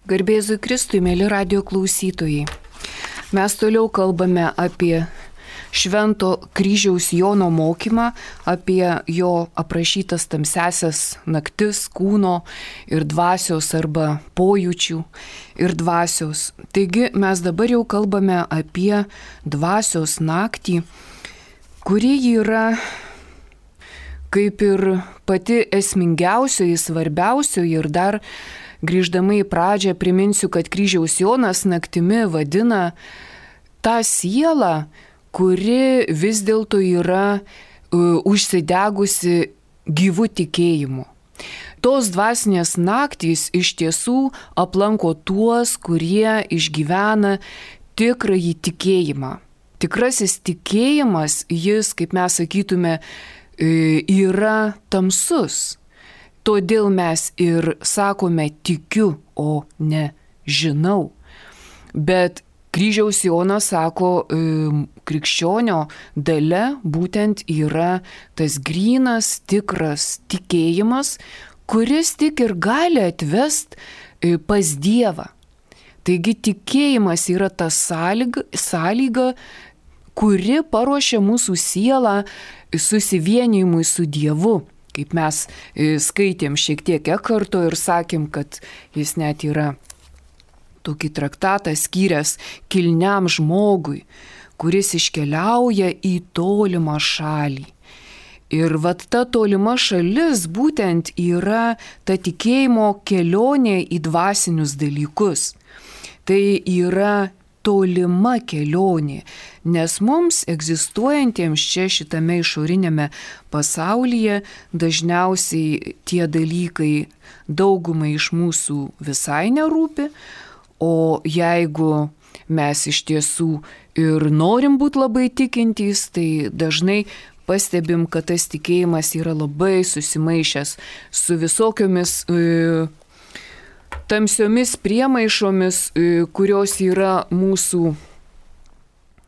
Garbėzui Kristui, mėly radio klausytojai. Mes toliau kalbame apie Švento Kryžiaus Jono mokymą, apie jo aprašytas tamsiasias naktis kūno ir dvasios arba pojūčių ir dvasios. Taigi mes dabar jau kalbame apie dvasios naktį, kuri yra kaip ir pati esmingiausioji, svarbiausioji. Ir dar grįždama į pradžią priminsiu, kad Kryžiaus Jonas naktimi vadina tą sielą, kuri vis dėlto yra užsidegusi gyvų tikėjimu. Tos dvasinės naktys iš tiesų aplanko tuos, kurie išgyvena tikrąjį tikėjimą. Tikrasis tikėjimas, jis, kaip mes sakytume, yra tamsus. Todėl mes ir sakome tikiu, o ne žinau. Bet Kryžiaus Jonas sako, krikščionio dalia būtent yra tas grynas, tikras tikėjimas, kuris tik ir gali atvest pas Dievą. Taigi tikėjimas yra ta sąlyga, kuri paruošia mūsų sielą susivienijimui su Dievu. Kaip mes skaitėm šiek tiek Ekharto ir sakėm, kad jis net yra tokį traktatą skyręs kilniam žmogui, kuris iškeliauja į tolimą šalį. Ir vat ta tolima šalis būtent yra ta tikėjimo kelionė į dvasinius dalykus. Tai yra tolima kelionė, nes mums egzistuojantiems čia šitame išorinėme pasaulyje dažniausiai tie dalykai daugumai iš mūsų visai nerūpi, o jeigu mes iš tiesų ir norim būti labai tikintys, tai dažnai pastebim, kad tas tikėjimas yra labai susimaišęs su visokiomis tamsiomis priemaišomis, kurios yra mūsų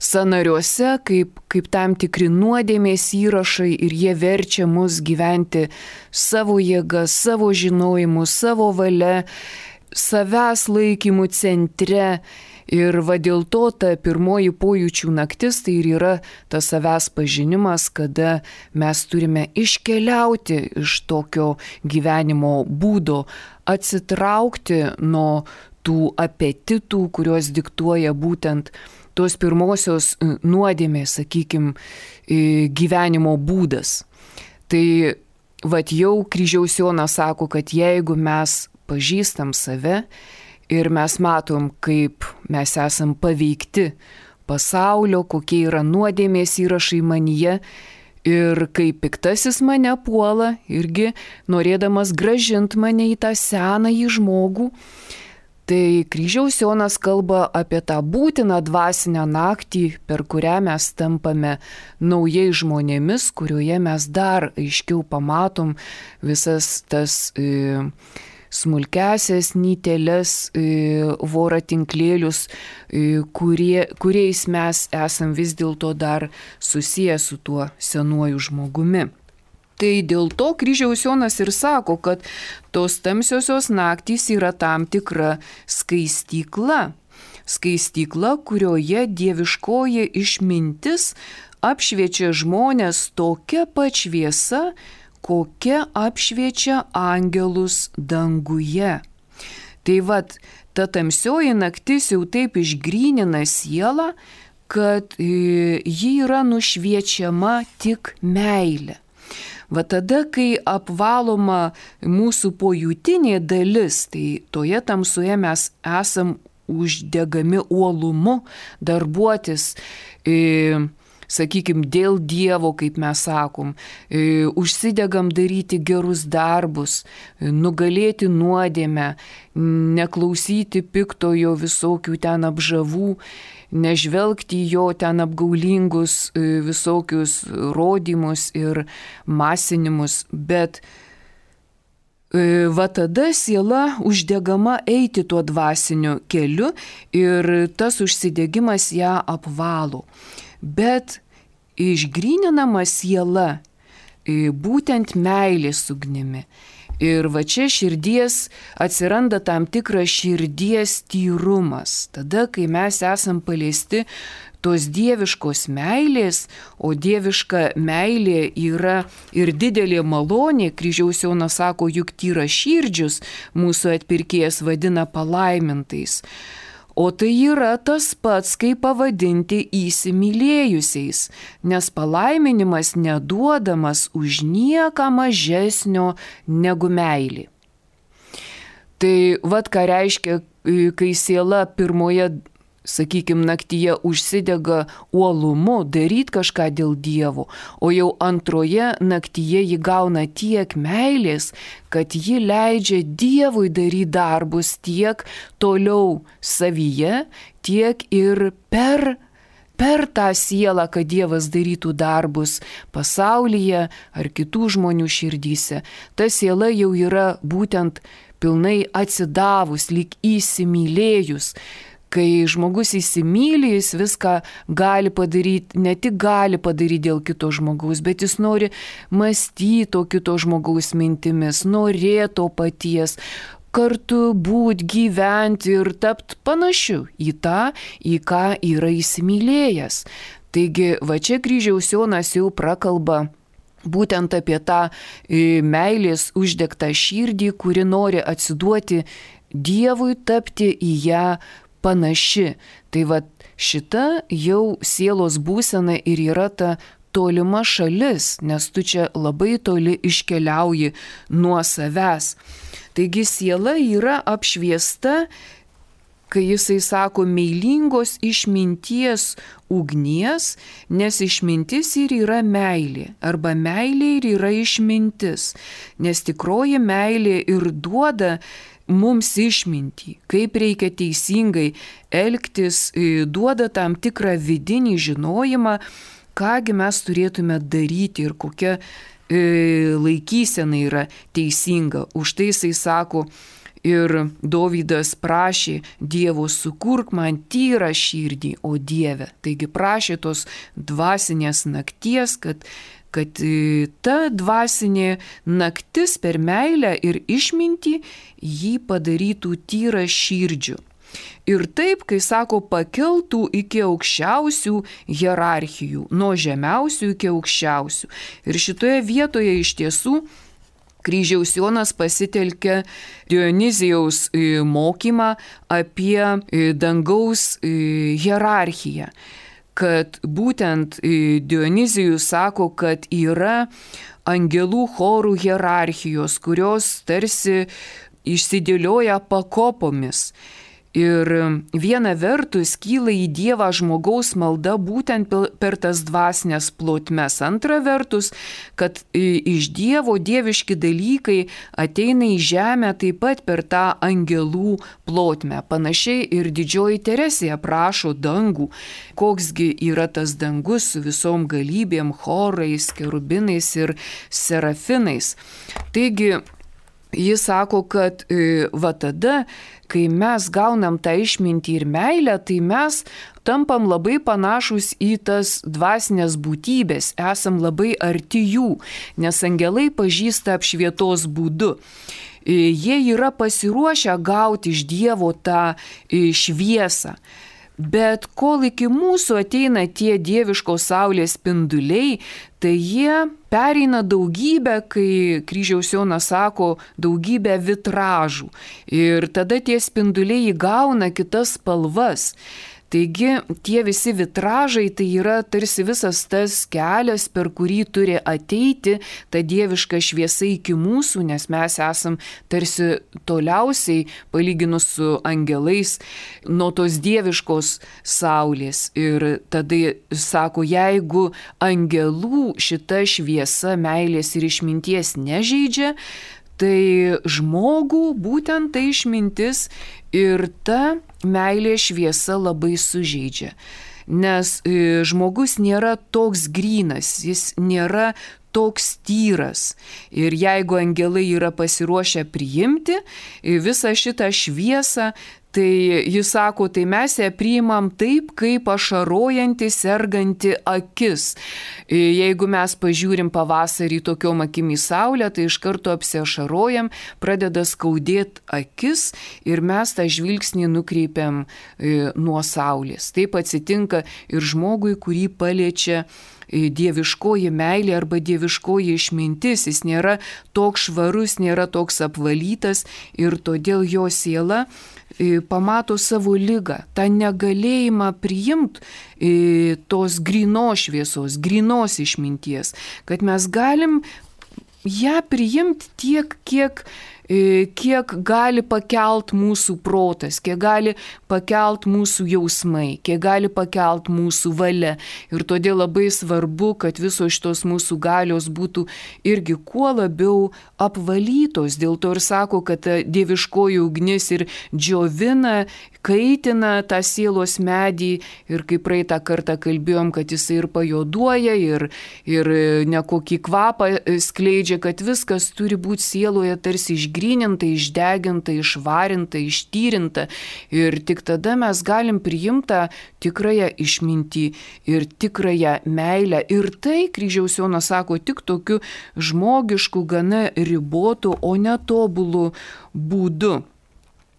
sąnariuose, kaip tam tikri nuodėmės įrašai, ir jie verčia mus gyventi savo jėgą, savo žinojimu, savo valia, savęs laikymų centre. Ir va dėl to ta pirmoji pojūčių naktis tai ir yra tas savęs pažinimas, kada mes turime iškeliauti iš tokio gyvenimo būdo, atsitraukti nuo tų apetitų, kurios diktuoja būtent tos pirmosios nuodėmės, sakykime, gyvenimo būdas. Tai vat jau Kryžiaus Jonas sako, kad jeigu mes pažįstam save, ir mes matom, kaip mes esam paveikti pasaulio, kokie yra nuodėmės įrašai manyje, ir kaip piktasis mane puola, irgi norėdamas grąžinti mane į tą senąjį žmogų, tai Kryžiaus Jonas kalba apie tą būtiną dvasinę naktį, per kurią mes tampame naujai žmonėmis, kurioje mes dar aiškiau pamatom visas tas smulkesias nyteles, voratinklėlius, kuriais mes esam vis dėlto dar susiję su tuo senuoju žmogumi. Tai dėl to Kryžiaus Jonas ir sako, kad tos tamsiosios naktys yra tam tikra skaistykla. Skaistykla, kurioje dieviškoji išmintis apšviečia žmonės tokia pat šviesa, kokia apšviečia angelus danguje. Tai vat, ta tamsioji naktis jau taip išgrynina sielą, kad ji yra nušviečiama tik meilė. Va tada, kai apvaloma mūsų pojūtinė dalis, tai toje tamsoje mes esam uždegami uolumu darbuotis, sakykime, dėl Dievo, kaip mes sakom, užsidegam daryti gerus darbus, nugalėti nuodėmę, neklausyti piktojo visokių ten apžavų, nežvelgti jo ten apgaulingus visokius rodymus ir masinimus, bet va tada siela uždegama eiti tuo dvasiniu keliu ir tas užsidegimas ją apvalo. Bet išgryninama siela būtent meilės ugnimi. Ir va čia atsiranda tam tikras širdies tyrumas. Tada, kai mes esam paliesti tos dieviškos meilės, o dieviška meilė yra ir didelė malonė, Kryžiaus Jonas sako, juk tyraširdžius mūsų atpirkėjas vadina palaimintais. O tai yra tas pats, kaip pavadinti įsimylėjusiais, nes palaiminimas neduodamas už nieką mažesnio negu meilė. Tai vat ką reiškia, kai siela pirmoje, sakykime, naktyje užsidega uolumu daryti kažką dėl Dievo, o jau antroje naktyje ji gauna tiek meilės, kad ji leidžia Dievui daryti darbus tiek toliau savyje, tiek ir per tą sielą, kad Dievas darytų darbus pasaulyje ar kitų žmonių širdyse. Ta siela jau yra būtent pilnai atsidavus, lyg įsimylėjus. Kai žmogus įsimyli, jis viską gali padaryti, ne tik gali padaryti dėl kito žmogaus, bet jis nori mąstyti to kito žmogaus mintimis, norėti to paties, kartu būti, gyventi ir tapti panašiu į tą, į ką yra įsimylėjęs. Taigi, va čia Kryžiaus Jonas jau prakalba būtent apie tą meilės uždegtą širdį, kuri nori atsiduoti Dievui, tapti į ją panaši. Tai va šita jau sielos būsena ir yra ta tolima šalis, nes tu čia labai toli iškeliauji nuo savęs. Taigi siela yra apšviesta, kai jisai sako meilingos išminties ugnies, nes išmintis ir yra meilė, arba meilė ir yra išmintis, nes tikroji meilė ir duoda mums išmintį, kaip reikia teisingai elgtis, duoda tam tikrą vidinį žinojimą, kągi mes turėtume daryti ir kokia laikysena yra teisinga. Už tai jisai sako, ir Dovydas prašė Dievo, sukurk man tyrą širdį, o Dieve. Taigi prašė tos dvasinės nakties, kad ta dvasinė naktis per meilę ir išmintį jį padarytų tyrą širdžių. Ir taip, kai sako, pakeltų iki aukščiausių hierarchijų, nuo žemiausių iki aukščiausių. Ir šitoje vietoje iš tiesų Kryžiaus Jonas pasitelkia Dionizijaus mokymą apie dangaus hierarchiją. Kad būtent Dionizijus sako, kad yra angelų chorų hierarchijos, kurios tarsi išsidėlioja pakopomis. Ir viena vertus kyla į Dievą žmogaus malda būtent per tas dvasinės plotmes. Antra vertus, kad iš Dievo dieviški dalykai ateina į žemę taip pat per tą angelų plotmę. Panašiai ir didžioji Teresija prašo dangų, koksgi yra tas dangus su visom galybėm, chorais, kerubinais ir serafinais. Taigi, jis sako, kad va tada, kai mes gaunam tą išmintį ir meilę, tai mes tampam labai panašus į tas dvasinės būtybės, esam labai arti jų, nes angelai pažįsta apšvietos būdu. Jie yra pasiruošę gauti iš Dievo tą šviesą. Bet kol iki mūsų ateina tie dieviškos saulės spinduliai, tai jie pereina daugybę, kai Kryžiaus Jonas sako, daugybę vitražų. Ir tada tie spinduliai įgauna kitas spalvas. Taigi tie visi vitražai tai yra tarsi visas tas kelias, per kurį turi ateiti ta dieviška šviesa iki mūsų, nes mes esam tarsi toliausiai, palyginus su angelais, nuo tos dieviškos saulės. Ir tada sako, jeigu angelų šita šviesa meilės ir išminties nežeidžia, tai žmogų būtent tai išmintis ir ta meilė šviesa labai sužeidžia. Nes žmogus nėra toks grynas, jis nėra toks tyras. Ir jeigu angelai yra pasiruošę priimti visą šitą šviesą, Tai jis sako, tai mes ją priimam taip, kaip ašarojanti, serganti akis. Jeigu mes pažiūrim pavasarį tokiom akim į saulę, tai iš karto apsiašarojam, pradeda skaudėti akis ir mes tą žvilgsnį nukreipiam nuo saulės. Taip atsitinka ir žmogui, kurį paliečia dieviškoji meilė arba dieviškoji išmintis. Jis nėra toks švarus, nėra toks apvalytas ir todėl jo siela pamato savo ligą, tą negalėjimą priimti tos grynos šviesos, grynos išminties, kad mes galim ją priimti tiek, kiek gali pakelt mūsų protas, kiek gali pakelt mūsų jausmai, kiek gali pakelt mūsų valia. Ir todėl labai svarbu, kad visos šitos mūsų galios būtų irgi kuo labiau apvalytos. Dėl to ir sako, kad ta dieviškoji ugnis ir džiovina, kaitina tą sielos medį ir kaip praeitą kartą kalbėjom, kad jisai ir pajuoduoja, ir nekokį kvapą skleidžia, kad viskas turi būti sieloje tarsi išgryninta, išdeginta, išvarinta, ištyrinta. Ir tik tada mes galim priimti tikrąją išmintį ir tikrąją meilę. Ir tai, Kryžiaus Jonas sako, tik tokiu žmogišku, gana ribotu, o netobulu būdu.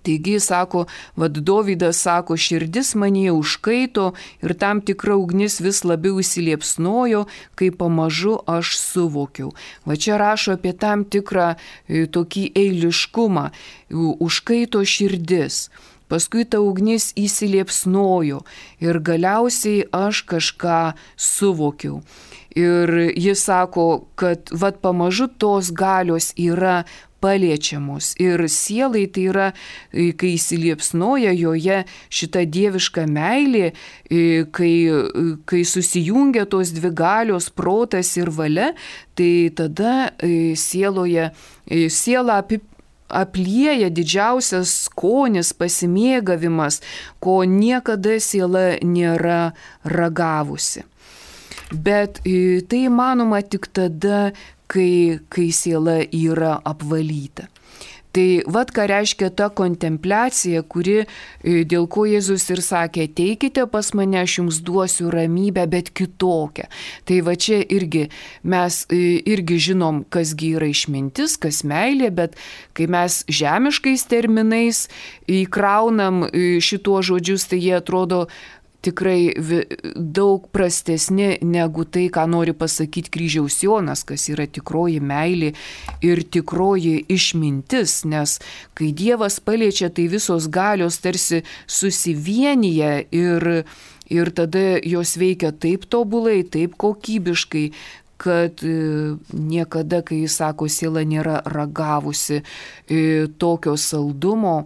Taigi, sako, Dovydas sako, širdis manyje užkaito ir tam tikra ugnis vis labiau įsiliepsnojo, kai pamažu aš suvokiau. Va čia rašo apie tam tikrą tokį eiliškumą, užkaito širdis. Paskui ta ugnis įsiliepsnojo ir galiausiai aš kažką suvokiau. Ir jis sako, kad pamažu tos galios yra paliečiamos. Ir sielai tai yra, kai įsiliepsnoja joje šita dieviška meilė, kai susijungia tos dvi galios, protas ir valia, tai tada sielą aplieja didžiausias skonis, pasimėgavimas, ko niekada siela nėra ragavusi. Bet tai įmanoma tik tada, kai siela yra apvalyta. Tai ką reiškia ta kontempliacija, dėl ko Jėzus ir sakė, ateikite pas mane, aš jums duosiu ramybę, bet kitokią. Tai čia irgi mes irgi žinom, kasgi yra išmintis, kas meilė, bet kai mes žemiškais terminais įkraunam šituos žodžius, tai jie atrodo tikrai daug prastesni negu tai, ką nori pasakyti Kryžiaus Jonas, kas yra tikroji meilė ir tikroji išmintis, nes kai Dievas paliečia, tai visos galios tarsi susivienyje ir tada jos veikia taip tobulai, taip kokybiškai, kad niekada, kai jis sako, siela nėra ragavusi tokio saldumo,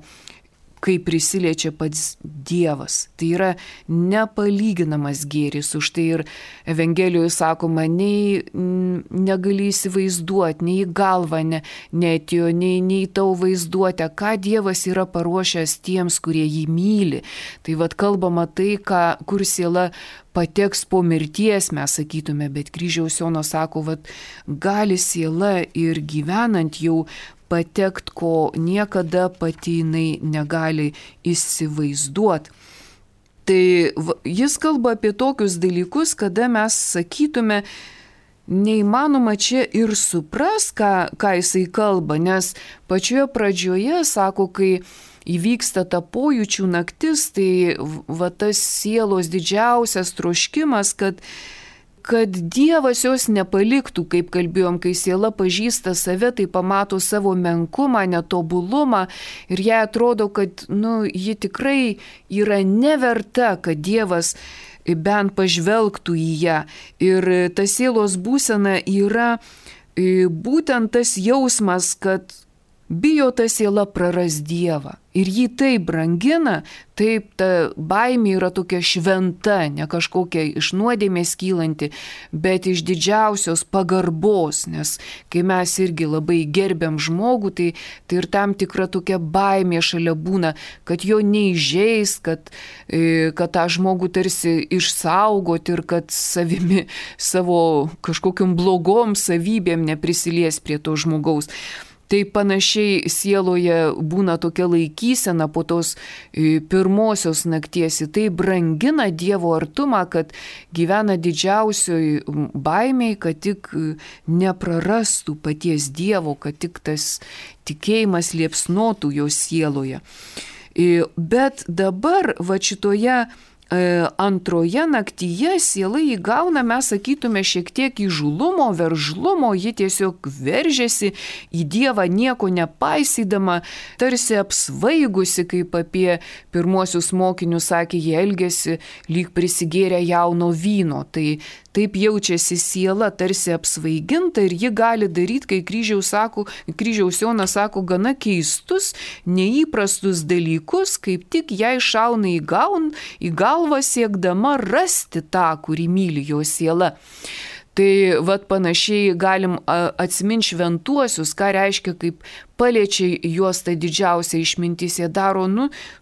kai prisiliečia pats Dievas. Tai yra nepalyginamas gėris. Už tai ir Evangelijoje sakoma, nei negali įsivaizduoti, nei į galvą neatėjo, nei tau vaizduotę, ką Dievas yra paruošęs tiems, kurie jį myli. Tai kalbama tai, kur siela pateks po mirties, mes sakytume, bet Kryžiaus Jonas sako, gali siela ir gyvenant jau patekt, ko niekada pati jinai negali įsivaizduoti. Tai jis kalba apie tokius dalykus, kada mes sakytume, neįmanoma čia ir supras, ką jisai kalba, nes pačioje pradžioje, sako, kai įvyksta ta pojūčių naktis, tai tas sielos didžiausias troškimas, kad Dievas jos nepaliktų, kaip kalbėjom, kai siela pažįsta save, tai pamato savo menkumą, netobulumą ir jai atrodo, kad ji tikrai yra neverta, kad Dievas bent pažvelgtų į ją. Ir ta sielos būsena yra būtent tas jausmas, kad bijo ta siela praras Dievą. Ir jį taip brangina, taip ta baimė yra tokia šventa, ne kažkokia iš nuodėmės kylanti, bet iš didžiausios pagarbos, nes kai mes irgi labai gerbiam žmogų, tai ir tam tikra tokia baimė šalia būna, kad jo neįžeis, kad tą žmogų tarsi išsaugoti ir kad savo kažkokiom blogom savybėm neprisilies prie to žmogaus. Tai panašiai sieloje būna tokia laikysena po tos pirmosios nakties. Tai brangina Dievo artumą, kad gyvena didžiausioj baimiai, kad tik neprarastų paties Dievo, kad tik tas tikėjimas liepsnotų jo sieloje. Bet dabar va šitoje antroje naktyje siela įgauna, mes sakytume, šiek tiek įžulumo, veržlumo, ji tiesiog veržiasi į Dievą nieko nepaisydama, tarsi apsvaigusi, kaip apie pirmuosius mokinius sakė, jie elgėsi lyg prisigėrę jauno vyno. Tai taip jaučiasi siela, tarsi apsvaiginta, ir ji gali daryti, kai kryžiaus Jonas sako, gana keistus, neįprastus dalykus, kaip tik jai šauna į galvą siekdama rasti tą, kurį myli jo siela. Tai vat panašiai galim atsiminti šventuosius, ką reiškia, kaip paliečia juos ta didžiausia išmintis, jie daro,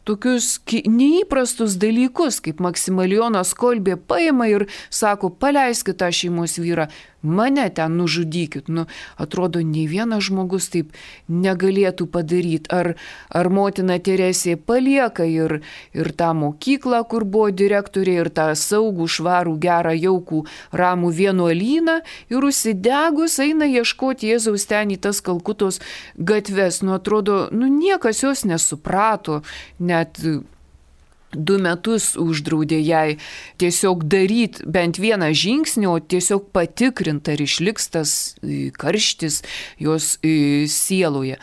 tokius neįprastus dalykus, kaip Maksimilijonas Kolbė paima ir sako, paleiskit tą šeimos vyrą, mane ten nužudykit. Atrodo, nei vienas žmogus taip negalėtų padaryti. Ar motina Teresė palieka ir tą mokyklą, kur buvo direktorė, ir tą saugų, švarų, gerą, jaukų, ramų vienuolyną, ir užsidegus eina ieškoti Jėzaus ten į tas Kalkutos gatves. Atrodo, niekas jos nesuprato, net 2 metus uždraudė jai tiesiog daryti bent vieną žingsnį, o tiesiog patikrinti, ar išliks tas karštis jos sieloje.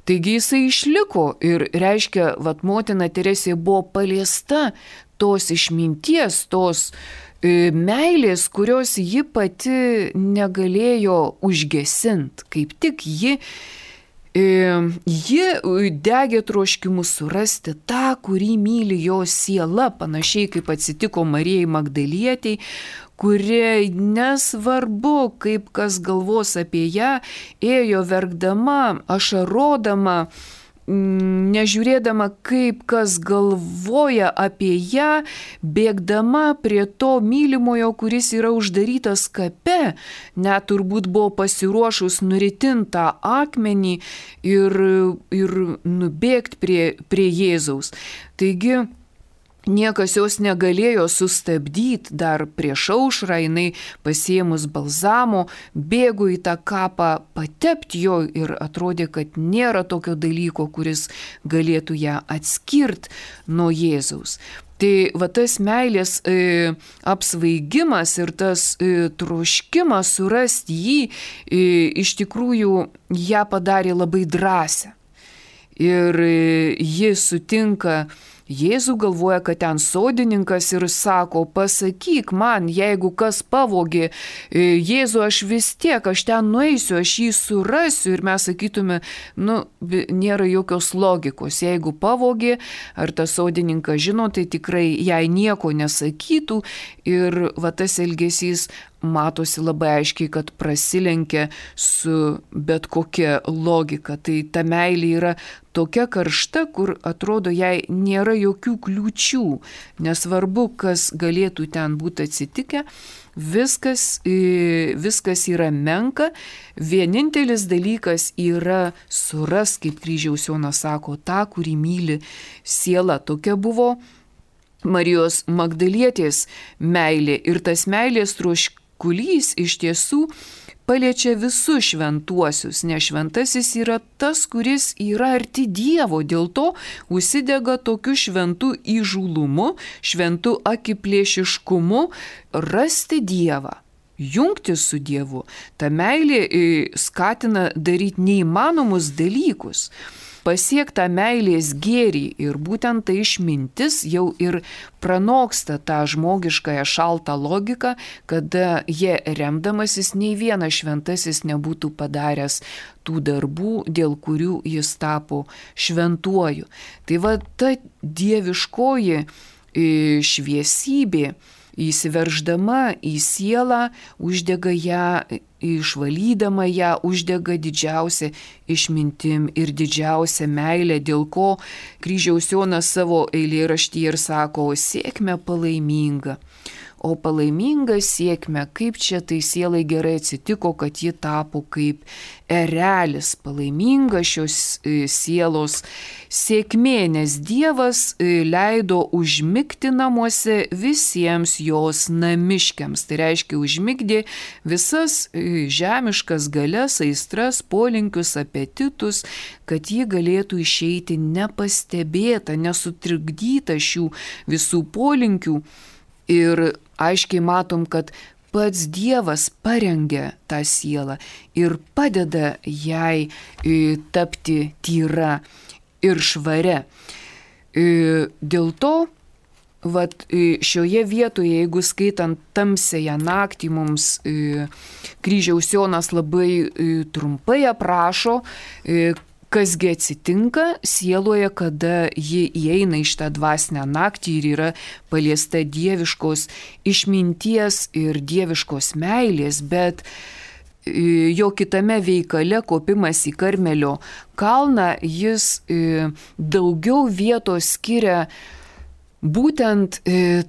Taigi jisai išliko ir reiškia, motina Teresė buvo paliesta tos išminties, tos meilės, kurios ji pati negalėjo užgesinti. Kaip tik ji degė troškimu surasti tą, kurį myli jo siela, panašiai kaip atsitiko Marijai Magdalietei, kuri nesvarbu, kaip kas galvos apie ją, ėjo verkdama, ašarodama, nežiūrėdama, kaip kas galvoja apie ją, bėgdama prie to mylimojo, kuris yra uždarytas kape, net turbūt buvo pasiruošus nuritintą akmenį ir nubėgti prie Jėzaus. Taigi, niekas jos negalėjo sustabdyti, dar prieš aušrą jinai pasiėmus balzamo, bėgo į tą kapą patepti jo ir atrodė, kad nėra tokio dalyko, kuris galėtų ją atskirti nuo Jėzaus. Tai tas meilės apsvaigimas ir tas troškimas surasti jį iš tikrųjų ją padarė labai drąsią. Ir ji sutinka Jėzų, galvoja, kad ten sodininkas ir sako, pasakyk man, jeigu kas pavogė Jėzų, aš ten nueisiu, aš jį surasiu. Ir mes sakytume, nėra jokios logikos. Jeigu pavogė, ar tas sodininkas žino, tai tikrai jai nieko nesakytų. Ir tas elgesys matosi labai aiškiai, kad prasilenkia su bet kokia logika. Tai ta meilė yra tokia karšta, kur atrodo jai nėra jokių kliūčių. Nesvarbu, kas galėtų ten būti atsitikę, viskas yra menka. Vienintelis dalykas yra suras, kaip kryžiaus Jonas sako, tą, kurį myli siela. Tokia buvo Marijos Magdalietės meilė. Ir tas meilės troškulys iš tiesų paliečia visus šventuosius, nes šventasis yra tas, kuris yra arti Dievo, dėl to užsidega tokiu šventu įžulumu, šventu akiplėšiškumu rasti Dievą, jungtis su Dievu. Ta meilė skatina daryti neįmanomus dalykus, pasiekti meilės gėrį, ir būtent ta išmintis jau ir pranoksta tą žmogiškąją šaltą logiką, kada jie remdamasis nei vienas šventasis nebūtų padaręs tų darbų, dėl kurių jis tapo šventuoju. Tai ta dieviškoji šviesybė, įsiverždama į sielą, uždega ją, išvalydama ją, uždega didžiausią išmintim ir didžiausią meilę, dėl ko kryžiaus Jonas savo eilėraštyje ir sako, sėkmę palaiminga, o palaiminga sėkmė, kaip čia tai sielai gerai atsitiko, kad ji tapo kaip erelis, palaiminga šios sielos sėkmė, nes Dievas leido užmigti namuose visiems jos namiškiams. Tai reiškia, užmigdė visas žemiškas galias, aistras, polinkius, apetitus, kad ji galėtų išeiti nepastebėta, nesutrikdyta šių visų polinkių. Ir aiškiai matom, kad pats Dievas parengia tą sielą ir padeda jai tapti tyra ir švaria. Dėl to, šioje vietoje, jeigu skaitant tamsiąją naktį, mums Kryžiaus Jonas labai trumpai aprašo, kasgi atsitinka sieloje, kada ji įeina į šitą dvasinę naktį ir yra paliesta dieviškos išminties ir dieviškos meilės, bet jo kitame veikale, kopimas į Karmelio kalną, jis daugiau vietos skiria būtent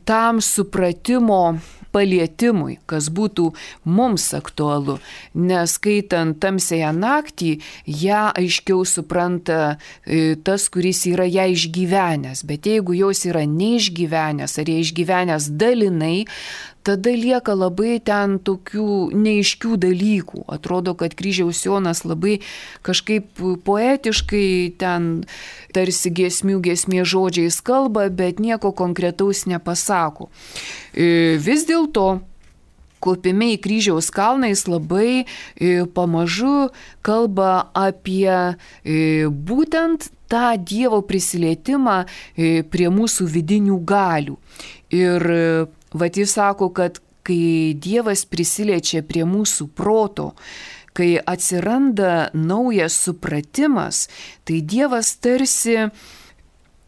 tam supratimo palietimui, kas būtų mums aktualu, nes skaitant tamsiąją naktį, ją aiškiau supranta tas, kuris yra ją išgyvenęs, bet jeigu jos yra neišgyvenęs ar jie išgyvenęs dalinai, tada lieka labai ten tokių neaiškių dalykų. Atrodo, kad Kryžiaus Jonas labai kažkaip poetiškai ten tarsi giesmė žodžiais kalba, bet nieko konkretaus nepasako. Vis dėlto, kopime į Kryžiaus kalną jis labai pamažu kalba apie būtent tą Dievo prisilietimą prie mūsų vidinių galių. Ir jis sako, kad kai Dievas prisiliečia prie mūsų proto, kai atsiranda naujas supratimas, tai Dievas tarsi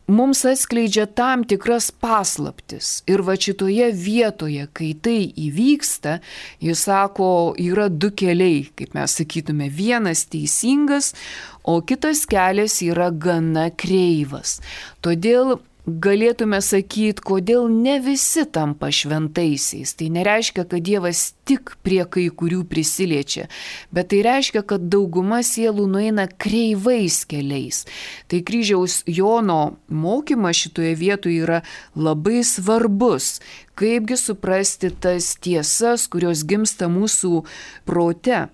mums atskleidžia tam tikras paslaptis. Ir šitoje vietoje, kai tai įvyksta, jis sako, yra du keliai, kaip mes sakytume, vienas teisingas, o kitas kelias yra gana kreivas. Todėl galėtume sakyti, kodėl ne visi tampa šventaisiais. Tai nereiškia, kad Dievas tik prie kai kurių prisiliečia, bet tai reiškia, kad dauguma sielų nueina kreivais keliais. Tai Kryžiaus Jono mokymas šitoje vietoje yra labai svarbus. Kaipgi suprasti tas tiesas, kurios gimsta mūsų prote.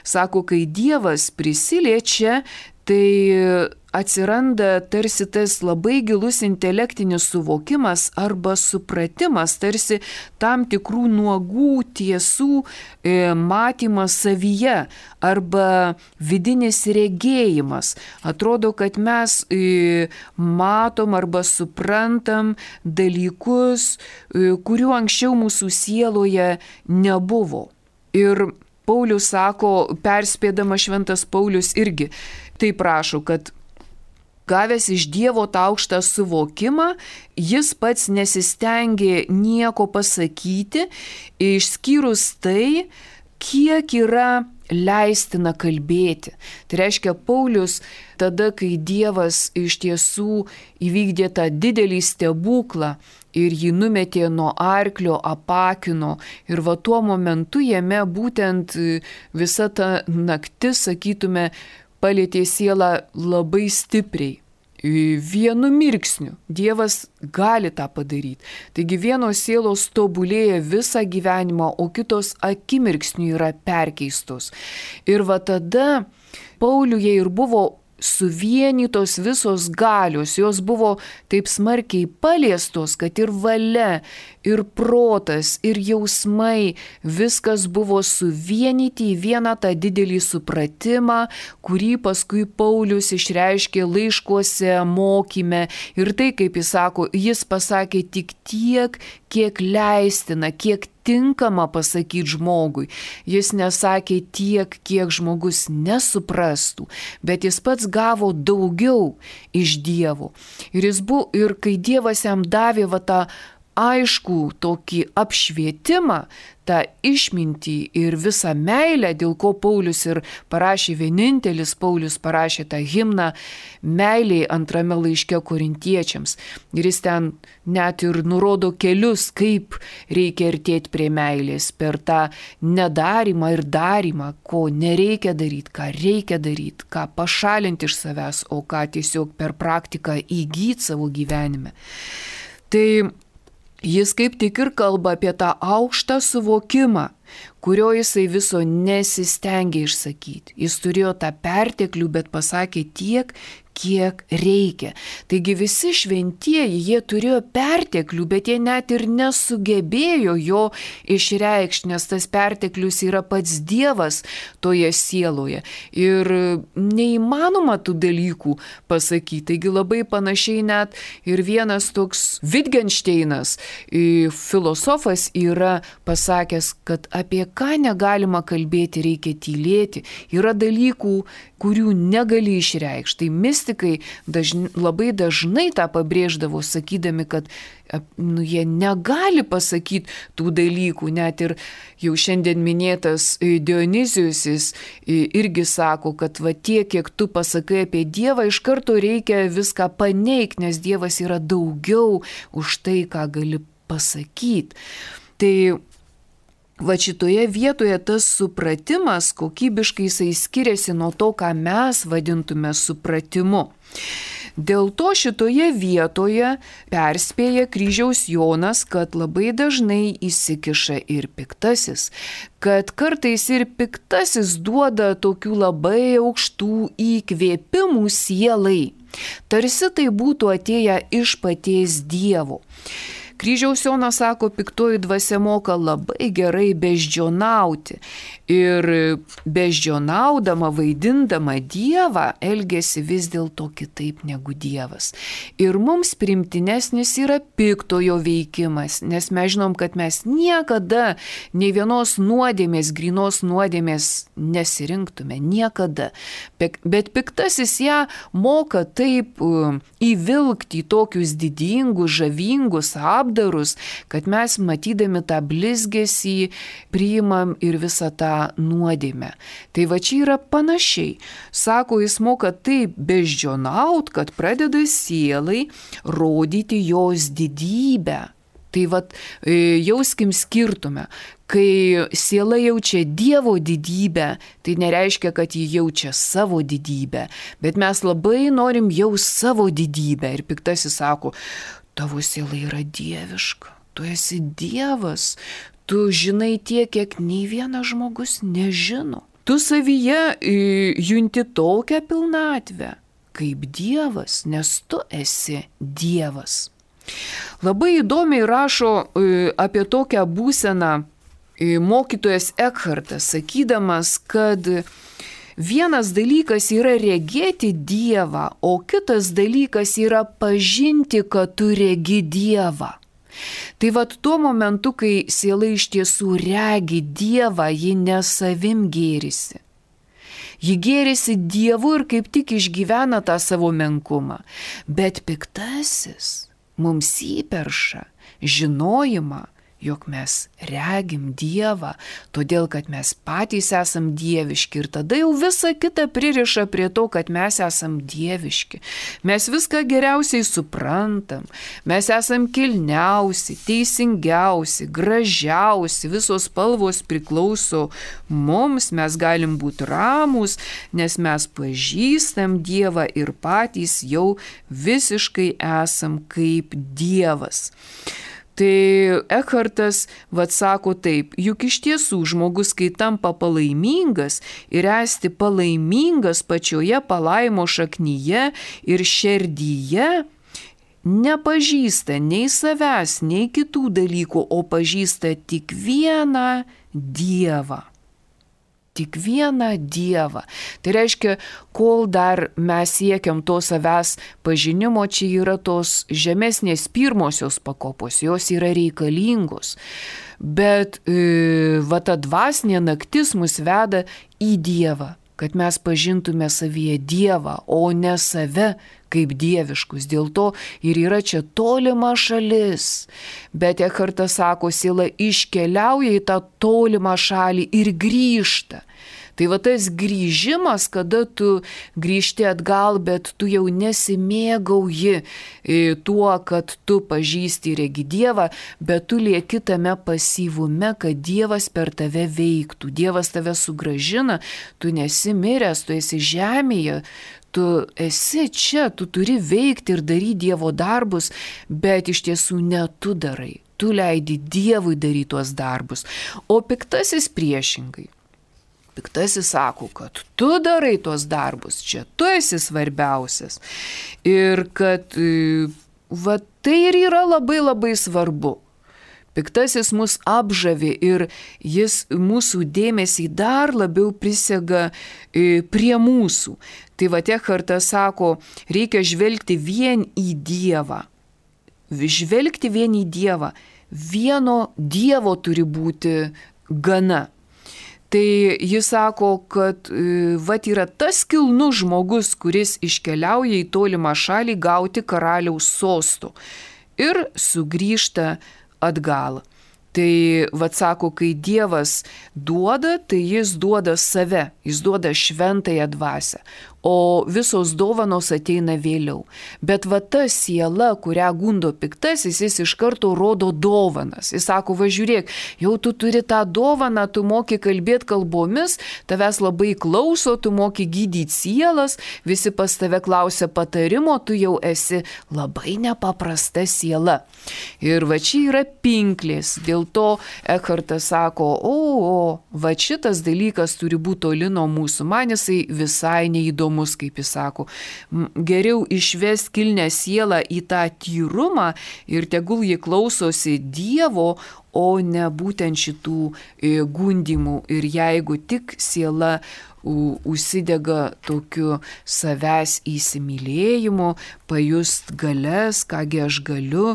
Sako, kai Dievas prisiliečia, tai atsiranda tarsi tas labai gilus intelektinis suvokimas arba supratimas, tarsi tam tikrų nuogų tiesų matymas savyje arba vidinis regėjimas. Atrodo, kad mes matom arba suprantam dalykus, kurių anksčiau mūsų sieloje nebuvo. Ir Paulius sako, perspėdama šventas Paulius irgi taip prašo, kad gavęs iš Dievo tą aukštą suvokimą, jis pats nesistengė nieko pasakyti, išskyrus tai, kiek yra leistina kalbėti. Tai reiškia, Paulius tada, kai Dievas iš tiesų įvykdė tą didelį stebuklą ir jį numetė nuo arklio, apakino, ir tuo momentu jame būtent visa ta naktis, sakytume, palietė sielą labai stipriai. Vienu mirksniu Dievas gali tą padaryti. Taigi vienos sielos tobulėja visą gyvenimą, o kitos akimirksniu yra perkeistos. Ir tada Pauliuje ir buvo suvienytos visos galios, jos buvo taip smarkiai paliestos, kad ir valia, ir protas, ir jausmai, viskas buvo suvienyti į vieną tą didelį supratimą, kurį paskui Paulius išreiškė laiškuose, mokyme. Ir tai, kaip jis sako, jis pasakė tik tiek, kiek leistina, kiek tinkama pasakyti žmogui. Jis nesakė tiek, kiek žmogus nesuprastų, bet jis pats gavo daugiau iš Dievo. Ir kai Dievas jam davė tą aišku tokį apšvietimą, tą išmintį ir visą meilę, dėl ko Paulius ir parašė, vienintelis Paulius parašė tą himną meiliai antrame laiške korintiečiams. Ir jis ten net ir nurodo kelius, kaip reikia artėti prie meilės, per tą nedarimą ir darimą, ko nereikia daryti, ką reikia daryti, ką pašalinti iš savęs, o ką tiesiog per praktiką įgyti savo gyvenime. Tai jis kaip tik ir kalba apie tą aukštą suvokimą, kurio jisai viso nesistengė išsakyti. Jis turėjo tą perteklių, bet pasakė tiek, kiek reikia. Taigi visi šventieji, jie turėjo perteklių, bet jie net ir nesugebėjo jo išreikšti, nes tas perteklius yra pats Dievas toje sieloje. Ir neįmanoma tų dalykų pasakyti. Taigi labai panašiai net ir vienas toks Wittgensteinas, filosofas, yra pasakęs, kad apie ką negalima kalbėti, reikia tylėti. Yra dalykų, kurių negali išreikšti. Tai mistikai labai dažnai tą pabrėždavo, sakydami, kad jie negali pasakyti tų dalykų. Net ir jau šiandien minėtas Dionizijus irgi sako, kad va tiek, kiek tu pasakai apie Dievą, iš karto reikia viską paneigti, nes Dievas yra daugiau už tai, ką gali pasakyti. Tai va šitoje vietoje tas supratimas kokybiškai jisai skiriasi nuo to, ką mes vadintume supratimu. Dėl to šitoje vietoje perspėja Kryžiaus Jonas, kad labai dažnai įsikiša ir piktasis, kad kartais ir piktasis duoda tokių labai aukštų įkvėpimų sielai, tarsi tai būtų atėję iš paties Dievo. Kryžiaus Jonas sako, piktoji dvasia moka labai gerai beždžionauti ir beždžionaudama, vaidindama Dievą, elgesi vis dėlto kitaip negu Dievas. Ir mums primtinesnis yra piktojo veikimas, nes mes žinom, kad mes niekada nei vienos nuodėmės, grynos nuodėmės nesirinktume, niekada. Bet piktasis ją moka taip įvilkti į tokius didingus, žavingus apdarus, kad mes matydami tą blizgesį priimam ir visą tą nuodėmę. Tai va čia yra panašiai. Sako, jis moka taip beždžionaut, kad pradeda sielai rodyti jos didybę. Tai va jauskim skirtumą. Kai siela jaučia Dievo didybę, tai nereiškia, kad ji jaučia savo didybę, bet mes labai norim jaust savo didybę. Ir piktasis sako, tavo siela yra dieviška, tu esi Dievas, tu žinai tiek, kiek nei vienas žmogus nežino. Tu savyje junti tokią pilnatvę, kaip Dievas, nes tu esi Dievas. Labai įdomiai rašo apie tokią būseną mokytojas Ekhartas, sakydamas, kad vienas dalykas yra regėti Dievą, o kitas dalykas yra pažinti, kad tu regi Dievą. Tai vat tuo momentu, kai siela iš tiesų regi Dievą, ji ne savim gėrisi. Ji gėrisi Dievu ir kaip tik išgyvena tą savo menkumą. Bet piktasis mums įperša žinojimą, jog mes regim Dievą, todėl kad mes patys esam dieviški ir tada jau visa kita pririša prie to, kad mes esam dieviški. Mes viską geriausiai suprantam, mes esam kilniausi, teisingiausi, gražiausi, visos spalvos priklauso mums, mes galim būti ramūs, nes mes pažįstam Dievą ir patys jau visiškai esam kaip Dievas. Tai Ekhartas sako taip, juk iš tiesų žmogus, kai tampa palaimingas ir esti palaimingas pačioje palaimo šaknyje ir širdyje, nepažįsta nei savęs, nei kitų dalykų, o pažįsta tik vieną Dievą. Tik vieną Dievą. Tai reiškia, kol dar mes siekiam to savęs pažinimo, čia yra tos žemesnės pirmosios pakopos, jos yra reikalingos. Bet ta dvasinė naktis mus veda į Dievą, kad mes pažintume savyje Dievą, o ne save kaip dieviškus. Dėl to ir yra čia tolima šalis. Bet Ekhartas sako, siela iškeliauja į tą tolimą šalį ir grįžta. Tai va tas grįžimas, kada tu grįžti atgal, bet tu jau nesimėgauji tuo, kad tu pažįsti ir regi Dievą, bet tu lieki tame pasyvume, kad Dievas per tave veiktų. Dievas tave sugrąžina, tu nesi miręs, tu esi žemėje, tu esi čia, tu turi veikti ir daryti Dievo darbus, bet iš tiesų ne tu darai. Tu leidi Dievui daryti tuos darbus. O piktasis priešingai. Piktasis sako, kad tu darai tuos darbus, čia tu esi svarbiausias. Ir kad va, tai ir yra labai labai svarbu. Piktasis mus apžavi ir jis mūsų dėmesį dar labiau prisega prie mūsų. Tai va Ekhartas sako, reikia žvelgti vien į Dievą. Žvelgti vien į Dievą. Vieno Dievo turi būti gana. Tai jis sako, kad vat yra tas kilnus žmogus, kuris iškeliauja į tolimą šalį gauti karaliaus sostų ir sugrįžta atgal. Tai vat sako, kai Dievas duoda, tai jis duoda save, jis duoda šventąją dvasią, o visos dovanos ateina vėliau. Bet va ta siela, kurią gundo piktasis, jis iš karto rodo dovanas. Jis sako, va žiūrėk, jau tu turi tą dovaną, tu moki kalbėti kalbomis, tavęs labai klauso, tu moki gydyti sielas, visi pas tave klausia patarimo, tu jau esi labai nepaprasta siela. Ir va čia yra pinklės, dėl to Ekhartas sako, va šitas dalykas turi būti toli nuo mūsų, man jisai visai neįdomus, kaip jis sako. Geriau išvest kilnę sielą į tą tyrumą ir tegul jį klausosi Dievo, o ne būtent šitų gundimų. Ir jeigu tik siela užsidega tokiu savęs įsimylėjimu, pajust galias, kągi aš galiu,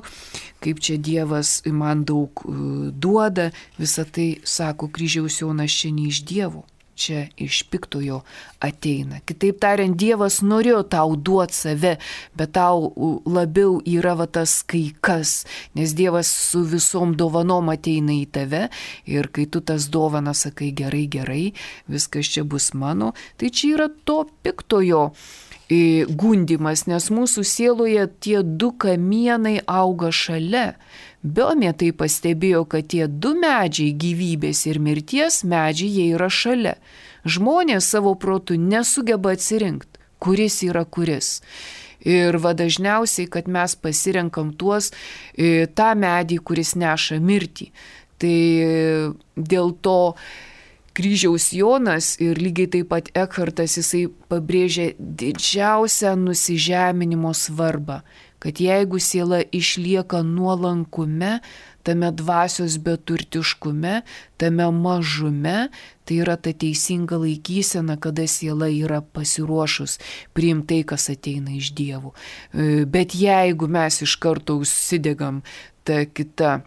kaip čia Dievas man daug duoda, visą tai, sako kryžiaus Jonas, čia ne iš Dievo. Čia iš piktojo ateina. Kitaip tariant, Dievas norėjo tau duoti save, bet tau labiau yra va tas kaikas, nes Dievas su visom dovanom ateina į tave ir kai tu tas dovanas sakai gerai, gerai, viskas čia bus mano, tai čia yra to piktojo gundimas, nes mūsų sieloje tie du kamienai auga šalia. Biomė tai pastebėjo, kad tie du medžiai, gyvybės ir mirties medžiai, jie yra šalia. Žmonės savo protu nesugeba atsirinkti, kuris yra kuris. Ir va dažniausiai, kad mes pasirenkam tą medį, kuris neša mirtį. Tai dėl to kryžiaus Jonas ir lygiai taip pat Ekhartas, jisai pabrėžia didžiausią nusižeminimo svarbą, kad jeigu siela išlieka nuolankume, tame dvasios beturtiškume, tame mažume, tai yra ta teisinga laikysena, kada siela yra pasiruošus priimti tai, kas ateina iš Dievo. Bet jeigu mes iš karto užsidegam tą kitą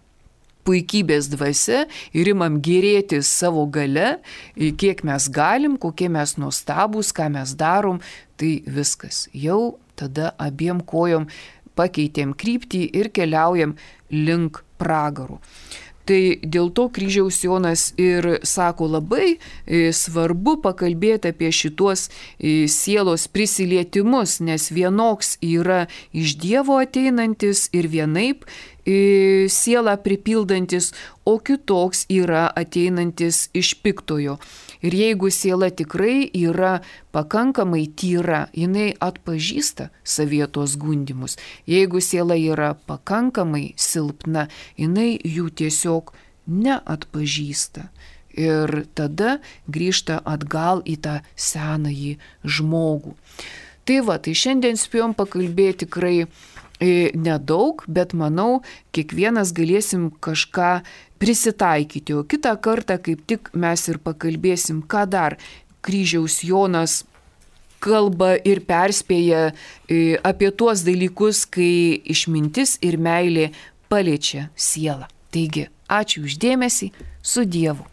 puikybės dvasia ir imam gėrėtis savo gale, kiek mes galim, kokie mes nuostabus, ką mes darom, tai viskas. Jau tada abiem kojom pakeitėm kryptį ir keliaujam link pragarų. Tai dėl to kryžiaus Jonas ir sako, labai svarbu pakalbėti apie šituos sielos prisilietimus, nes vienoks yra iš Dievo ateinantis ir vienaip sielą pripildantis, o kitoks yra ateinantis iš piktojo. Ir jeigu siela tikrai yra pakankamai tyra, jinai atpažįsta savietos gundimus. Jeigu siela yra pakankamai silpna, jinai jų tiesiog neatpažįsta. Ir tada grįžta atgal į tą senąjį žmogų. Tai va, tai šiandien spėjom pakalbėti tikrai nedaug, bet manau, kiekvienas galėsim kažką prisitaikyti. O kitą kartą kaip tik mes ir pakalbėsim, ką dar kryžiaus Jonas kalba ir perspėja apie tuos dalykus, kai išmintis ir meilė paliečia sielą. Taigi, ačiū už dėmesį, su Dievu.